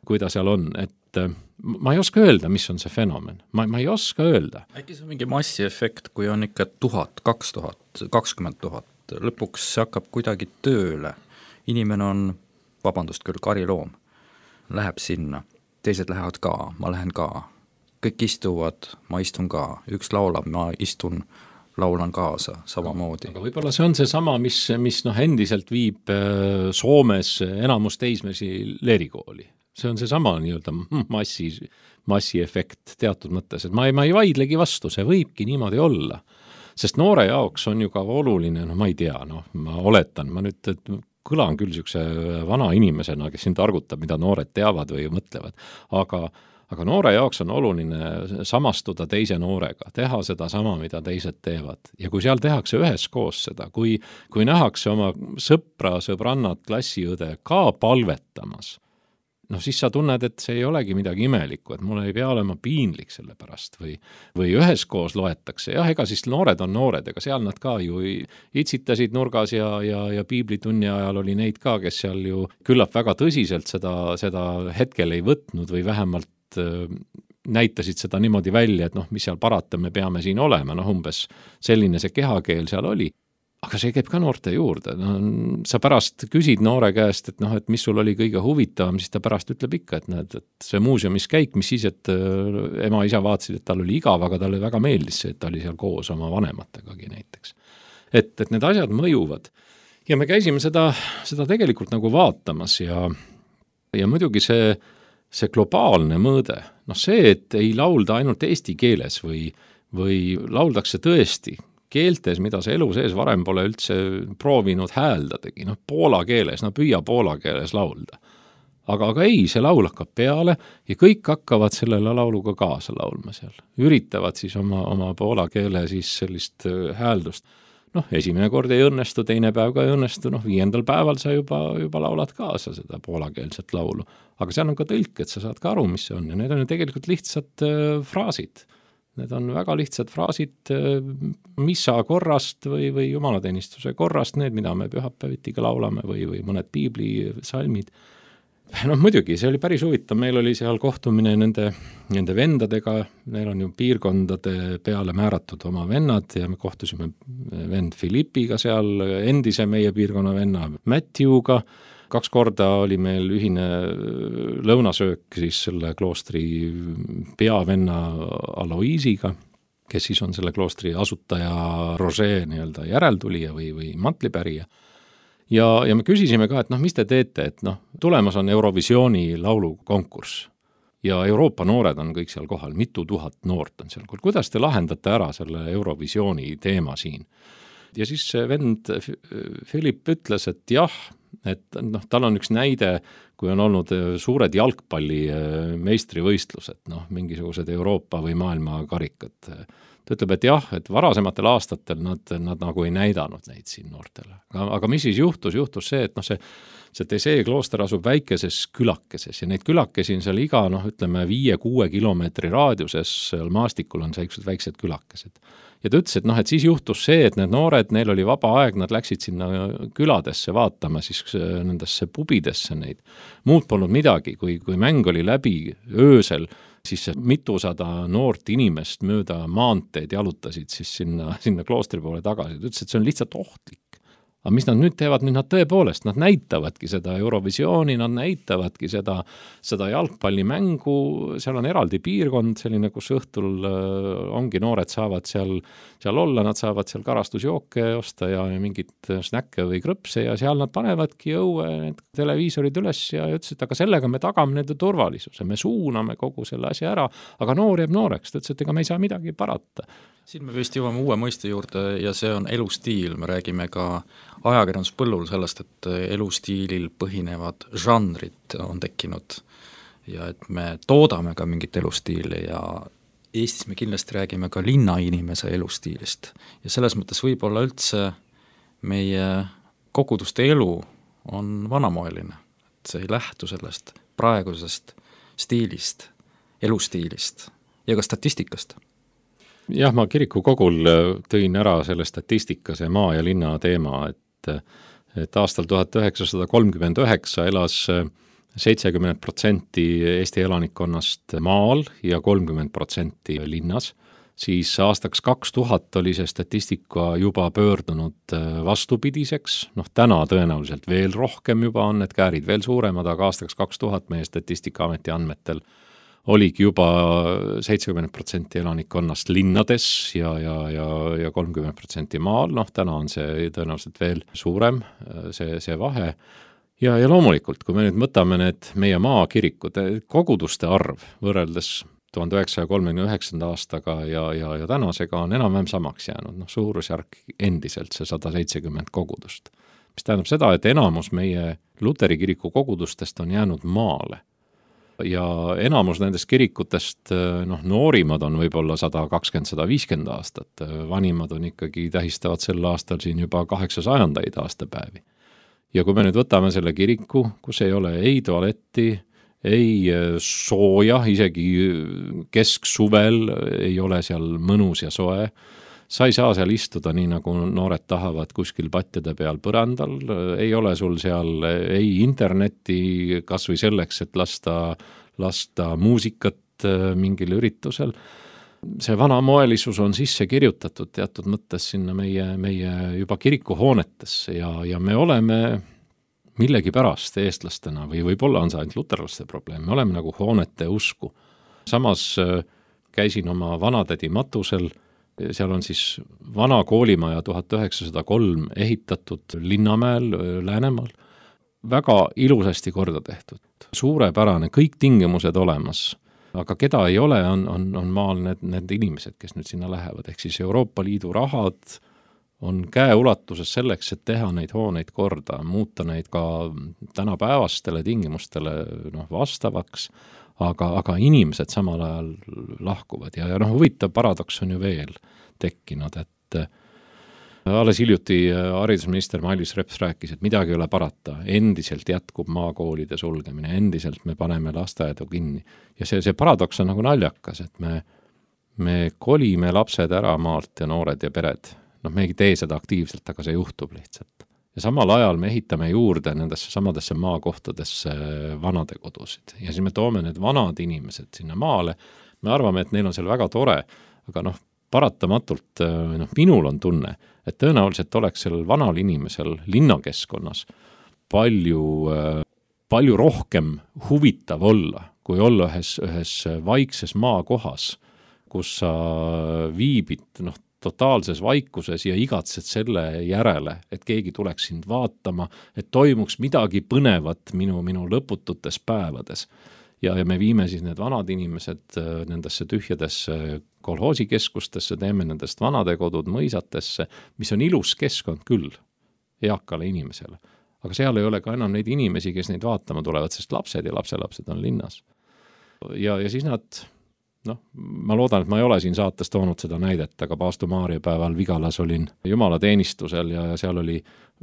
kui ta seal on, et ma ei oska öelda, mis on see fenomen. Ma ei oska öelda. Äkki see on mingi massiefekt, kui on ikka 1000, 2000, 20 000, lõpuks see hakkab kuidagi tööle. Inimene on, vabandust küll, kariloom, läheb sinna, teised lähevad ka, ma lähen ka, kõik istuvad, ma istun ka, üks laulab, ma istun, laulan kaasa samamoodi. Aga võib-olla see on see sama, mis endiselt viib Soomes enamus teismesi leerikooli. See on see sama nii-öelda massiefekt teatud mõttes, et ma ei vaidlegi vastu, see võibki niimoodi olla. sest noore jaoks on ju ka oluline, no ma ei tea, ma oletan, ma nüüd kõlan küll niisuguse vana inimesena, kes siin targutab, mida noored teavad või mõtlevad, aga noore jaoks on oluline samastuda teise noorega, teha seda sama, mida teised teevad. Ja kui seal tehakse üheskoos seda, kui nähakse oma sõpra, sõbrannat, klassiõde ka palvetamas, siis sa tunned, et see ei olegi midagi imelikku, et mul ei pea olema piinlik selle pärast või üheskoos loetakse. Jah, ega siis noored on noored, ega seal nad ka ju itsitasid nurgas ja piiblitunni ajal oli neid ka, kes seal ju küllap väga tõsiselt seda hetkel ei võtnud või vähemalt näitasid seda niimoodi välja, et mis seal parata, me peame siin olema, umbes selline see kehakeel seal oli. Aga see käib ka noorte juurde. Sa pärast küsid noore käest, et mis sul oli kõige huvitavam, siis ta pärast ütleb ikka, et see muuseumis käik, mis siis, et ema-isa vaatasid, et tal oli igav, aga talle väga meeldis see, et ta oli seal koos oma vanemategagi näiteks. Et need asjad mõjuvad. Ja me käisime seda tegelikult nagu vaatamas ja muidugi see globaalne mõõde, see, et ei laulda ainult eesti keeles või lauldakse tõesti keeltes, mida see elu sees varem pole üldse proovinud hääldadagi, poola keeles, püüa poola keeles laulda. Aga ei, see laul hakkab peale ja kõik hakkavad sellele lauluga kaasa laulma seal. Üritavad siis oma poola keele siis sellist hääldust. Esimene kord ei õnnestu, teine päev ka ei õnnestu, 5. päeval sa juba laulad kaasa seda poolakeelset laulu. Aga seal on ka tõlk, et sa saad ka aru, mis see on. Ja need on ju tegelikult lihtsad fraasid. Need on väga lihtsad fraasid missa korrast või jumalateenistuse korrast, need, mida me pühapäevitiga laulame või mõned piiblisalmid. Muidugi, see oli päris huvitav, meil oli seal kohtumine nende vendadega, neil on ju piirkondade peale määratud oma vennad ja me kohtusime vend Filipiga seal, endise meie piirkonna venna Matthewga, 2 korda oli meil ühine lõunasöök siis selle kloostri peavenna Aloisiga, kes siis on selle kloostri asutaja Roger nii-öelda järeltulija või mantlipärija. Ja me küsisime ka, et mis te teete, et tulemas on Eurovisiooni laulukonkurss ja Euroopa noored on kõik seal kohal, mitu tuhat noort on seal. Kuidas te lahendate ära selle Eurovisiooni teema siin? Ja siis vend Philip ütles, et jah, et tal on üks näide, kui on olnud suured jalgpalli meistrivõistlused, mingisugused Euroopa või maailma karikad. Ta ütleb, et jah, et varasematel aastatel nad nagu ei näidanud neid siin noortele. Aga mis siis juhtus? Juhtus see, et see Tesee klooster asub väikeses külakeses ja neid külakesi on seal iga, 5-6 kilomeetri raadiuses seal maastikul on sellised väiksed külakesed. Ja ta ütles, et siis juhtus see, et need noored, neil oli vaba aeg, nad läksid sinna küladesse vaatama siis nendesse pubidesse neid. Muud polnud midagi, kui mäng oli läbi öösel, siis mitusada noort inimest mööda maanteed jalutasid siis sinna kloostri poole tagasi. Ta ütles, et see on lihtsalt ohtlik. Aga mis nad nüüd teevad? Nüüd nad tõepoolest, nad näitavadki seda Eurovisiooni, nad näitavadki seda jalgpallimängu, seal on eraldi piirkond, selline, kus õhtul ongi noored saavad seal olla, nad saavad seal karastusjooke osta ja mingit snäkke või krõpse ja seal nad panevadki õue need televiisorid üles ja ütles, et aga sellega me tagame nende turvalisuse, me suuname kogu selle asja ära, aga noor jääb nooreks, ta ütles, et ega me ei saa midagi parata. Siin me vist jõuame uue mõiste juurde ja see on elustiil, me räägime ka ajakirjanduspõllul sellest, et elustiilil põhinevad žanrid on tekkinud ja et me toodame ka mingit elustiili ja Eestis me kindlasti räägime ka linnainimese elustiilist ja selles mõttes võib-olla üldse meie koguduste elu on vanamoeline, et see ei lähtu sellest praegusest stiilist, elustiilist ja ka statistikast. Jah, ma kiriku kogul tõin ära selle statistika, see maa ja linna teema, et aastal 1939 elas 70% Eesti elanikkonnast maal ja 30% linnas, siis aastaks 2000 oli see statistika juba pöördunud vastupidiseks, täna tõenäoliselt veel rohkem juba on need käärid veel suuremad, aga aastaks 2000 meie Statistikaameti andmetel oligi juba 70% elanikkonnast linnades ja 30% maal, täna on see tõenäoliselt veel suurem, see vahe. Ja loomulikult, kui me nüüd mõtame need meie maakirikud, koguduste arv võrreldes 1939. aastaga ja tänasega on enam-vähem samaks jäänud, suurusjärk endiselt see 170 kogudust. Mis tähendab seda, et enamus meie Luteri kiriku kogudustest on jäänud maale. Ja enamus nendest kirikutest, noorimad on võib-olla 120-150 aastat, vanimad on ikkagi, tähistavad sel aastal siin juba 800 aastapäevi. Ja kui me nüüd võtame selle kiriku, kus ei ole ei tualetti, ei sooja, isegi kesksuvel ei ole seal mõnus ja soe, sa ei saa seal istuda nii, nagu noored tahavad kuskil patjade peal põrandal, ei ole sul seal ei internetti kas või selleks, et lasta muusikat mingil üritusel. See vanamoelisus on sisse kirjutatud teatud mõttes sinna meie juba kirikuhoonetesse ja me oleme millegi pärast eestlastena või võib-olla on see ainult luterlaste probleem, me oleme nagu hoonete usku. Samas käisin oma vanatädi matusel, seal on siis vana koolimaja 1903 ehitatud Linnamäel, Läänemaal, väga ilusasti korda tehtud, suurepärane, kõik tingimused olemas, aga keda ei ole, on maal need inimesed, kes nüüd sinna lähevad, ehk siis Euroopa Liidu rahad on käeulatuses selleks, et teha neid hooneid korda, muuta neid ka tänapäevastele tingimustele vastavaks, aga inimesed samal ajal lahkuvad ja huvitav paradoks on ju veel tekkinud, et alles hiljuti haridusminister Mailis Reps rääkis, et midagi ei ole parata, endiselt jätkub maakoolide sulgemine, endiselt me paneme lasteaedu kinni ja see paradoks on nagu naljakas, et me kolime lapsed ära maalt ja noored ja pered, me ei tee seda aktiivselt, aga see juhtub lihtsalt. Ja samal ajal me ehitame juurde nendesse samadesse maakohtadesse vanadekodusid ja siis me toome need vanad inimesed sinna maale, me arvame, et neil on seal väga tore, aga paratamatult minul on tunne, et tõenäoliselt oleks sellel vanal inimesel linnakeskkonnas palju rohkem huvitav olla, kui olla ühes vaikses maakohas, kus sa viibid totaalses vaikuses ja igatsed selle järele, et keegi tuleks sind vaatama, et toimuks midagi põnevat minu lõpututes päevades. Ja me viime siis need vanad inimesed nendesse tühjadesse kolhoosikeskustesse, teeme nendest vanadekodud mõisatesse, mis on ilus keskkond küll eakale inimesele. Aga seal ei ole ka enam neid inimesi, kes neid vaatama tulevad, sest lapsed ja lapselapsed on linnas. Ja siis nad... ma loodan, et ma ei ole siin saates toonud seda näidet, aga Paastu Maarja päeval Vigalas olin jumalateenistusel ja seal oli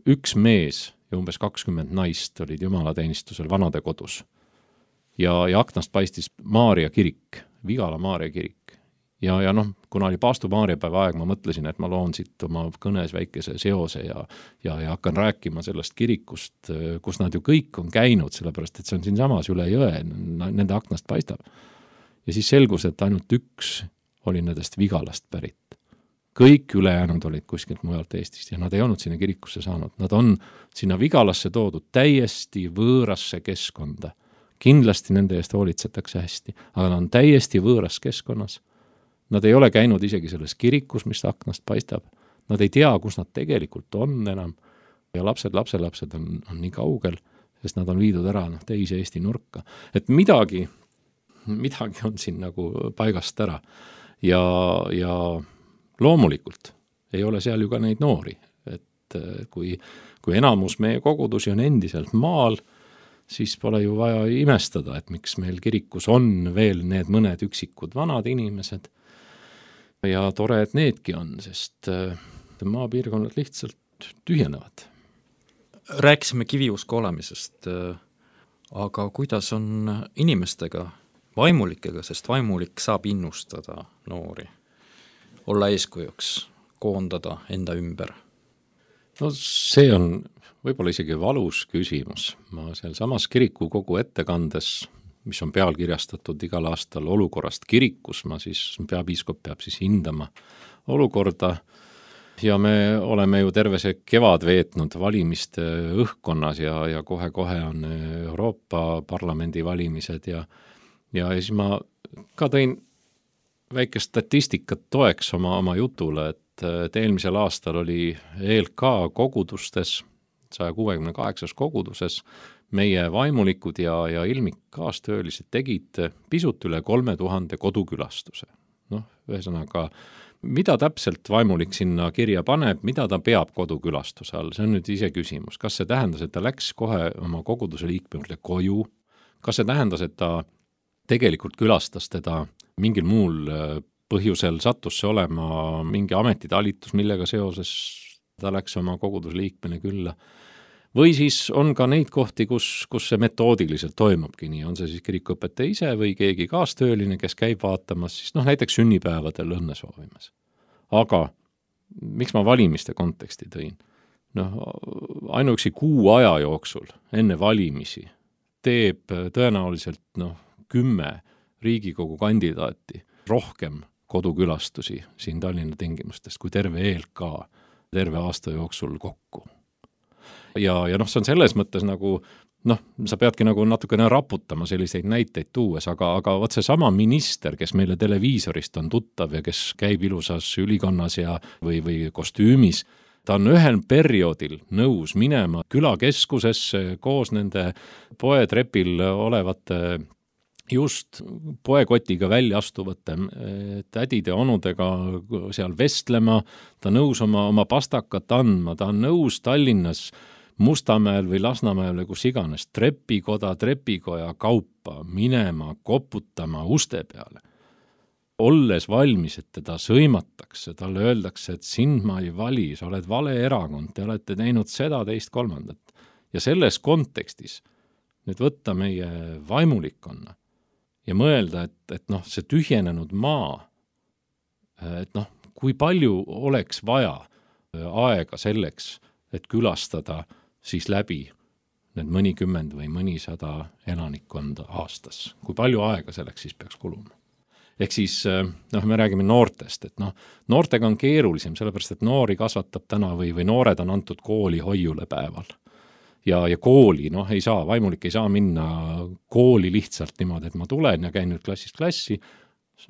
üks mees ja umbes 20 naist olid jumalateenistusel vanadekodus. Ja aknast paistis Maarja kirik, Vigala Maarja kirik. Ja kuna oli Paastu Maarja päeva aeg, ma mõtlesin, et ma loon siit oma kõnes väikese seose ja hakkan rääkima sellest kirikust, kus nad ju kõik on käinud, sellepärast et see on siinsamas üle jõe, nende aknast paistab. Ja siis selgus, et ainult üks oli nendest Vigalast pärit. Kõik ülejäänud olid kuskilt mujalt Eestist ja nad ei olnud sinna kirikusse saanud. Nad on sinna Vigalasse toodud täiesti võõrasse keskkonda. Kindlasti nende eest hoolitsetakse hästi, aga nad on täiesti võõras keskkonnas. Nad ei ole käinud isegi selles kirikus, mis aknast paistab. Nad ei tea, kus nad tegelikult on enam. Ja lapsed on nii kaugel, sest nad on viidud ära teise Eesti nurka. Et midagi on siin nagu paigast ära ja loomulikult ei ole seal ju ka neid noori, et kui enamus meie kogudusi on endiselt maal, siis pole ju vaja imestada, et miks meil kirikus on veel need mõned üksikud vanad inimesed ja tore, et needki on, sest maapiirkonnad lihtsalt tühjenevad. Rääkisime kiviusko olemisest, aga kuidas on inimestega, vaimulikega, sest vaimulik saab innustada noori, olla eeskujuks, koondada enda ümber? See on võib-olla isegi valus küsimus. Ma seal samas kirikukogu ettekandes, mis on pealkirjastatud igal aastal olukorrast kirikus, peapiiskop peab siis hindama olukorda ja me oleme ju terve see kevad veetnud valimiste õhkkonnas ja kohe on Euroopa Parlamendi valimised ja siis ma ka tõin väikest statistikat toeks oma jutule, et eelmisel aastal oli ELK kogudustes, 168 koguduses, meie vaimulikud ja ilmik kaastöölised tegid pisut üle 3000 kodukülastuse. Ühesõnaga, mida täpselt vaimulik sinna kirja paneb, mida ta peab kodukülastuse all, see on nüüd ise küsimus. Kas see tähendas, et ta läks kohe oma koguduse liikme juurde koju? Kas see tähendas, et ta tegelikult külastas teda mingil muul põhjusel, sattus see olema mingi ametitalitus, millega seoses ta läks oma koguduse liikmene külla? Või siis on ka neid kohti, kus see metoodiliselt toimubki nii, on see siis kirikuõpetaja ise või keegi kaastööline, kes käib vaatamas, siis näiteks sünnipäevadel õnne soovimas. Aga miks ma valimiste konteksti tõin? Ainuüksi kuu aja jooksul enne valimisi teeb tõenäoliselt 10 Riigikogu kandidaati rohkem kodukülastusi siin Tallinna tingimustest kui terve ELK terve aasta jooksul kokku. Ja see on selles mõttes nagu, sa peadki nagu natukene raputama selliseid näiteid tuues, aga vot see sama minister, kes meile televiisorist on tuttav ja kes käib ilusas ülikonnas või kostüümis, ta on ühel perioodil nõus minema külakeskusesse koos nende poetrepil olevate just poekotiga välja astuvate tädide ja onudega seal vestlema, ta nõus oma pastakat andma, ta on nõus Tallinnas Mustamäel või Lasnamäel või kus iganes trepikoja kaupa minema, koputama uste peale. Olles valmis, et teda sõimatakse, talle öeldakse, et sind ma ei vali, sa oled vale erakond, te olete teinud seda, teist, kolmandat. Ja selles kontekstis nüüd võtta meie vaimulikkonna ja mõelda, et see tühjenenud maa, et kui palju oleks vaja aega selleks, et külastada siis läbi need mõnikümmend või mõnisada elanikkonda aastas. Kui palju aega selleks siis peaks kuluma? Ehk siis, me räägime noortest, et noortega on keerulisem, sellepärast, et noori kasvatab täna või noored on antud kooli hoiule päeval. Ja kooli, ei saa, vaimulik ei saa minna kooli lihtsalt niimoodi, et ma tulen ja käin nüüd klassist klassi,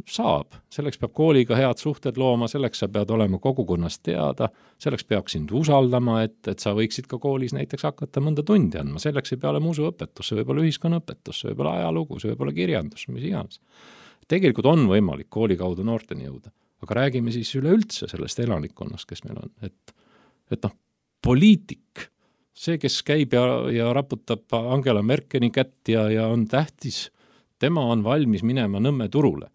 saab. Selleks peab kooliga head suhted looma, selleks sa pead olema kogukonnast teada, selleks peab sind usaldama, et sa võiksid ka koolis näiteks hakata mõnda tundi andma. Selleks ei pea olema usuõpetus, see võib olla ühiskonnaõpetus, see võib olla ajalugu, see võib olla kirjandus, mis iganes. Tegelikult on võimalik kooli kaudu noorteni jõuda, aga räägime siis üleüldse sellest elanikkonnast, kes meil on. Et poliitik, see, kes käib ja raputab Angela Merkeli kätt ja on tähtis, tema on valmis minema Nõmme turule.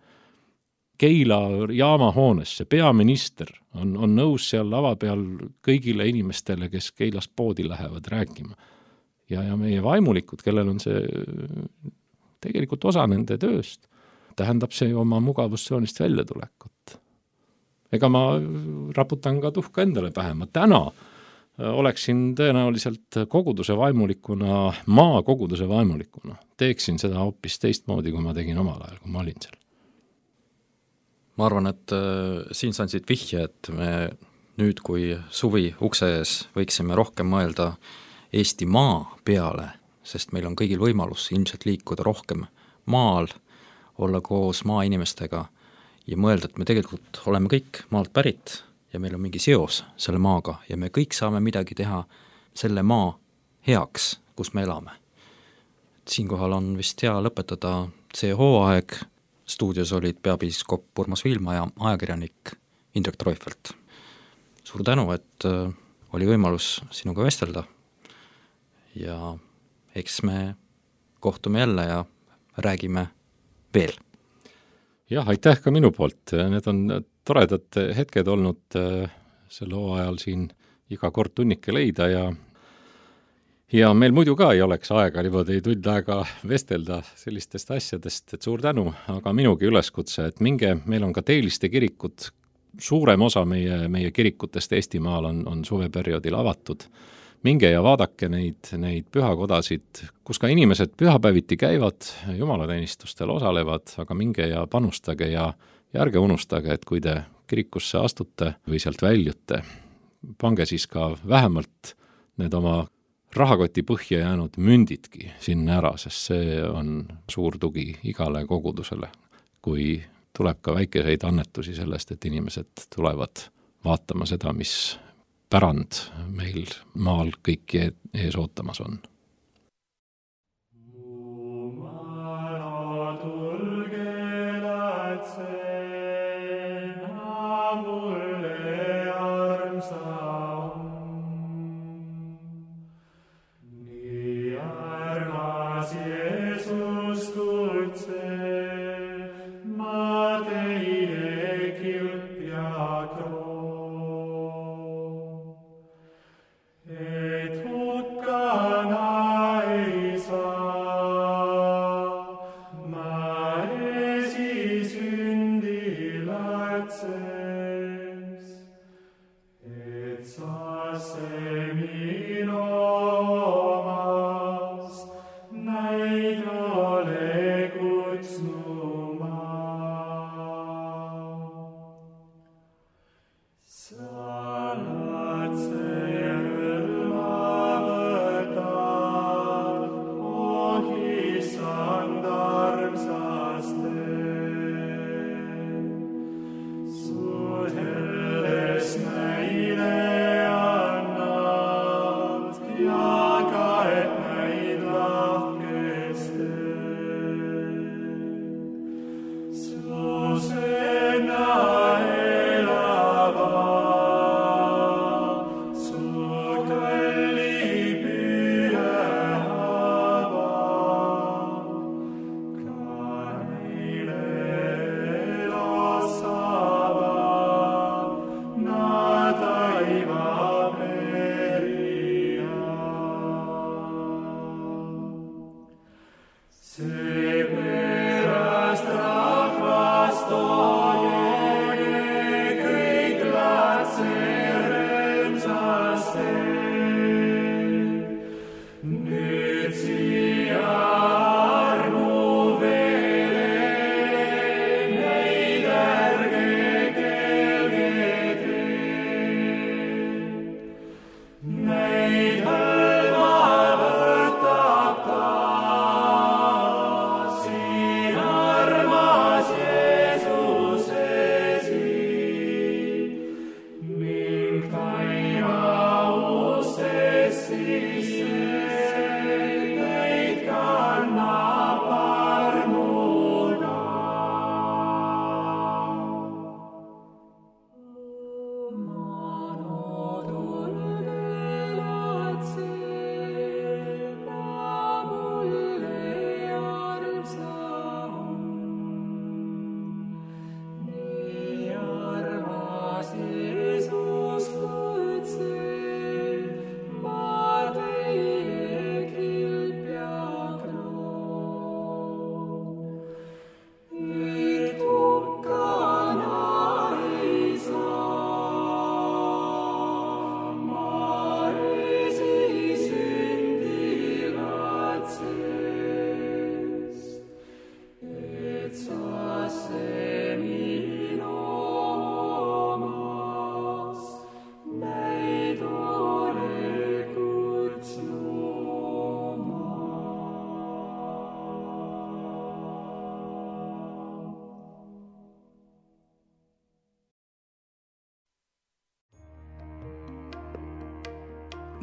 Keila jaamahoonesse, peaminister on nõus seal lava peal kõigile inimestele, kes Keilast poodi lähevad rääkima. Ja meie vaimulikud, kellel on see tegelikult osa nende tööst, tähendab see oma mugavustsoonist väljatulekut. Ega ma raputan ka tuhka endale pähe, ma täna oleksin tõenäoliselt koguduse vaimulikuna, maa koguduse vaimulikuna. Teeksin seda hoopis teistmoodi, kui ma tegin omal ajal, kui ma olin seal. Ma arvan, et siin saan siit vihje, et me nüüd, kui suvi ukse ees, võiksime rohkem mõelda Eesti maa peale, sest meil on kõigil võimalus ilmselt liikuda rohkem maal, olla koos maainimestega ja mõelda, et me tegelikult oleme kõik maalt pärit ja meil on mingi seos selle maaga ja me kõik saame midagi teha selle maa heaks, kus me elame. Siinkohal on vist hea lõpetada see hooaeg. Stuudios olid peapiiskop Urmas Viilma ja ajakirjanik Indrek Treufelt. Suur tänu, et oli võimalus sinuga vestelda ja eks me kohtume jälle ja räägime veel. Jah, aitäh ka minu poolt. Need on toredad hetked olnud selle hooajal siin iga kord tunnike leida ja meil muidu ka ei oleks aega niimoodi tund aega vestelda sellistest asjadest, et suur tänu, aga minugi üleskutse, et meil on ka teeliste kirikud, suurem osa meie kirikutest Eestimaal on suveperioodil avatud. Minge ja vaadake neid pühakodasid, kus ka inimesed pühapäeviti käivad, jumalateenistustel osalevad, aga minge ja panustage ja ärge unustage, et kui te kirikusse astute või sealt väljute, pange siis ka vähemalt need oma rahakoti põhja jäänud mündidki sinna ära, sest see on suur tugi igale kogudusele, kui tuleb ka väikeseid annetusi sellest, et inimesed tulevad vaatama seda, mis pärand meil maal kõiki ees ootamas on.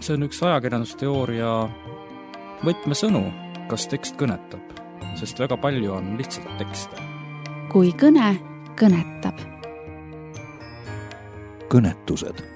See on üks ajakirjandusteooria võtmesõnu, kas tekst kõnetab, sest väga palju on lihtsalt tekste. Kui kõne kõnetab. Kõnetused